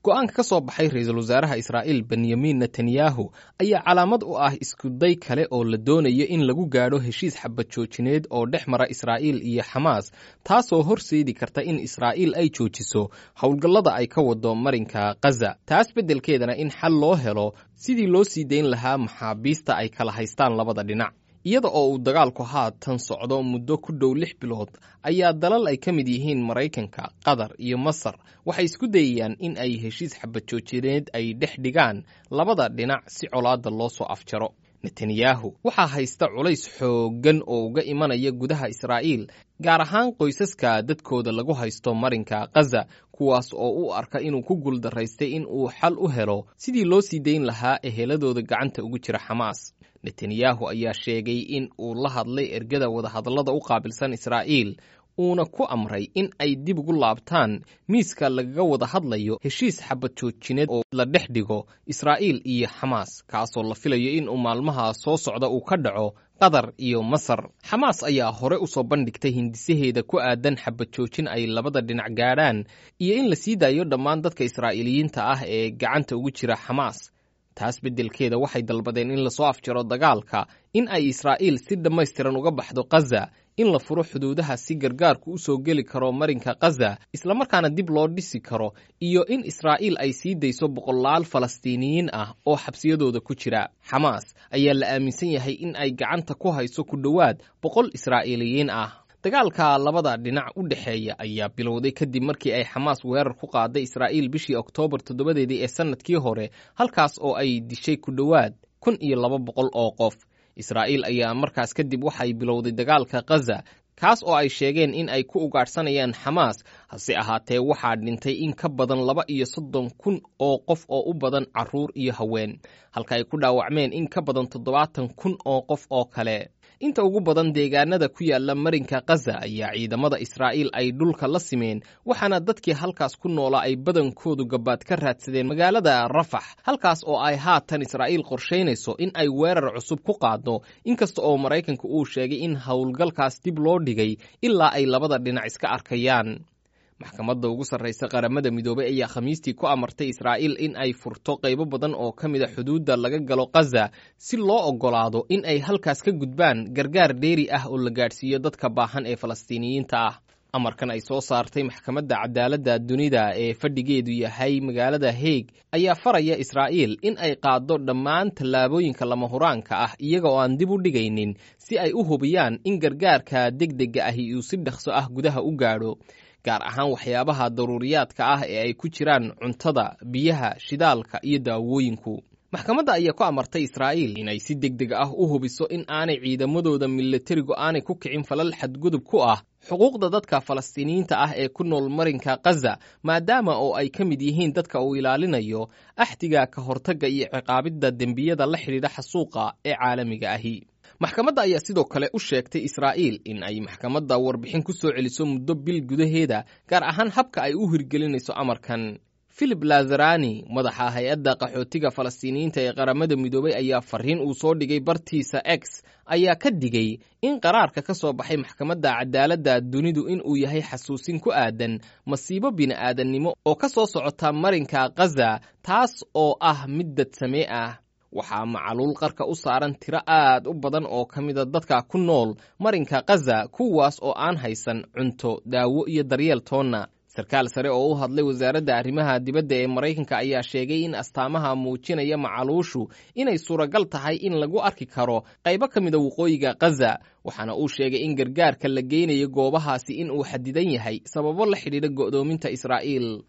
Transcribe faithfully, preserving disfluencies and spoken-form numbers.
Go'aanka ka soo baxay ra-iisul wasaaraha Israa'iil Benyamin Netanyahu ayaa calaamad u ah iskuday kale oo la doonayo in lagu gaadho heshiis xabad joojineed oo dhex mara Israa'iil iyo Xamaas, taasoo horseedi karta in Israa'iil ay joojiso howlgallada ay ka wado marinka Khaza, taas beddelkeedana in xal loo helo sidii loo sii dayn lahaa maxaabiista ay kala haystaan labada dhinac. Iyada oo uu dagaalku haatan socdo muddo ku dhow lix bilood ayaa dalal ay ka mid yihiin Maraykanka, Qatar iyo Masar waxay isku dayayaan in ay heshiis xabad joojineed ay dhex dhigaan labada dhinac si colaadda loo soo afjaro. Netanyahu waxaa haysta culays xooggan oo uga imanaya gudaha Israa'iil, gaar ahaan qoysaska dadkooda lagu haysto marinka Khaza, kuwaas oo u arka inuu ku guuldaraystay in uu xal u helo sidii loo sii dayn lahaa eheladooda gacanta ugu jira Xamaas. Netanyahu ayaa sheegay in uu la hadlay ergada wadahadallada u qaabilsan Israa'iil, uuna ku amray in ay dib ugu laabtaan miiska lagaga wada hadlayo heshiis xabad joojineed oo la dhex dhigo Israa'iil iyo Xamaas, kaasoo la filayo in uu maalmaha soo socda uu ka dhaco Qatar iyo Masar. Xamaas ayaa hore u soo bandhigtay hindisaheeda ku aadan xabad joojin ay labada dhinac gaadhaan iyo in la sii daayo dhammaan dadka Israa'iiliyiinta ah ee gacanta ugu jira Xamaas. Taas beddelkeeda waxay dalbadeen in lasoo afjaro dagaalka, in ay Israa'iil si dhammaystiran uga baxdo Khaza, in la furo xuduudaha si gargaarku u soo geli karo marinka Khaza islamarkaana dib loo dhisi karo, iyo in Israa'iil ay sii dayso boqolaal Falastiiniyiin ah oo xabsiyadooda ku jira. Xamaas ayaa la aaminsan yahay in ay gacanta ku hayso ku dhowaad boqol Israa'iiliyiin ah. Dagaalka labada dhinac u dhexeeya ayaa bilowday kadib markii ay Xamaas weerar ku qaaday Israa'iil bishii Oktoobar toddobadeedii ee sanadkii hore, halkaas oo ay dishay ku dhowaad kun iyo laba boqol oo qof. Israa'iil ayaa markaas kadib waxay bilowday dagaalka Khaza, kaas oo ay sheegeen in ay ku ugaadhsanayaan Xamaas. Hase ahaatee waxaa dhintay in ka badan laba iyo soddon kun oo qof oo u badan carruur iyo haween, halka ay ku dhaawacmeen in ka badan toddobaatan kun oo qof oo kale. Inta ugu badan deegaanada ku yaala marinka Khaza ayaa ciidamada Israa'iil ay dhulka la simeen, waxaana dadkii halkaas ku noolaa ay badankoodu gabaad ka raadsadeen magaalada Rafax, halkaas oo ay haatan Israa'iil qorshaynayso in ay weerar cusub ku qaaddo, inkasta oo Maraykanka uu sheegay in howlgalkaas dib loo dhigay ilaa ay labada dhinac iska arkayaan. Maxkamadda ugu sarraysa Qaramada Midoobay ayaa Khamiistii ku amartay Israa'iil in ay furto qaybo badan oo ka mid a xuduudda laga galo Khaza si loo oggolaado in ay halkaas ka gudbaan gargaar dheeri ah oo la gaadhsiiyo dadka baahan ee Falastiiniyiinta ah. Amarkan ay soo saartay Maxkamadda Cadaaladda Dunida ee fadhigeedu yahay magaalada Hague ayaa faraya Israa'iil in ay qaaddo dhammaan tallaabooyinka lama huraanka ah iyaga oo aan dib u dhigaynin, si ay u hubiyaan in gargaarka degdega ahi uu si dhaqso ah gudaha u gaadho, gaar ahaan waxyaabaha daruuriyaadka ah ee ay ku jiraan cuntada, biyaha, shidaalka iyo daawooyinku. Maxkamadda ayaa ku amartay Israa'iil inay si deg deg ah u hubiso in aanay ciidamadooda milatarigu aanay ku kicin falal xadgudub ku ah xuquuqda dadka Falastiiniyiinta ah ee ku nool marinka Khaza, maadaama oo ay ka mid yihiin dadka uu ilaalinayo axdiga ka hortagga iyo ciqaabidda dembiyada la xidhiidha xasuuqa ee caalamiga ahi. Maxkamadda ayaa sidoo kale u sheegtay Israa'iil in ay maxkamadda warbixin ku soo celiso muddo bil gudaheeda, gaar ahaan habka ay u hirgelinayso amarkan. Philip Lazarani, madaxa hay-adda qaxootiga Falastiiniyiinta ee Qaramada Midoobay, ayaa fariin uu soo dhigay bartiisa X ayaa ka digay in qaraarka ka soo baxay Maxkamadda Cadaaladda Dunidu in uu yahay xasuusin ku aadan masiibo bini'aadannimo oo ka soo socota marinka Khaza, taas oo ah mid dadsamee ah. Waxaa macaluul qarka u saaran tiro aad u badan oo ka mida dadka ku nool marinka Khaza, kuwaas oo aan haysan cunto, daawo iyo daryeel toonna. Sarkaal sare oo u hadlay wasaaradda arrimaha dibadda ee Maraykanka ayaa sheegay in astaamaha muujinaya macaluushu inay suuragal tahay in lagu arki karo qaybo ka mida waqooyiga Khaza, waxaana uu sheegay in gargaarka la geynayo goobahaasi in uu xadidan yahay sababo la xidhiidha go'doominta Israa'iil.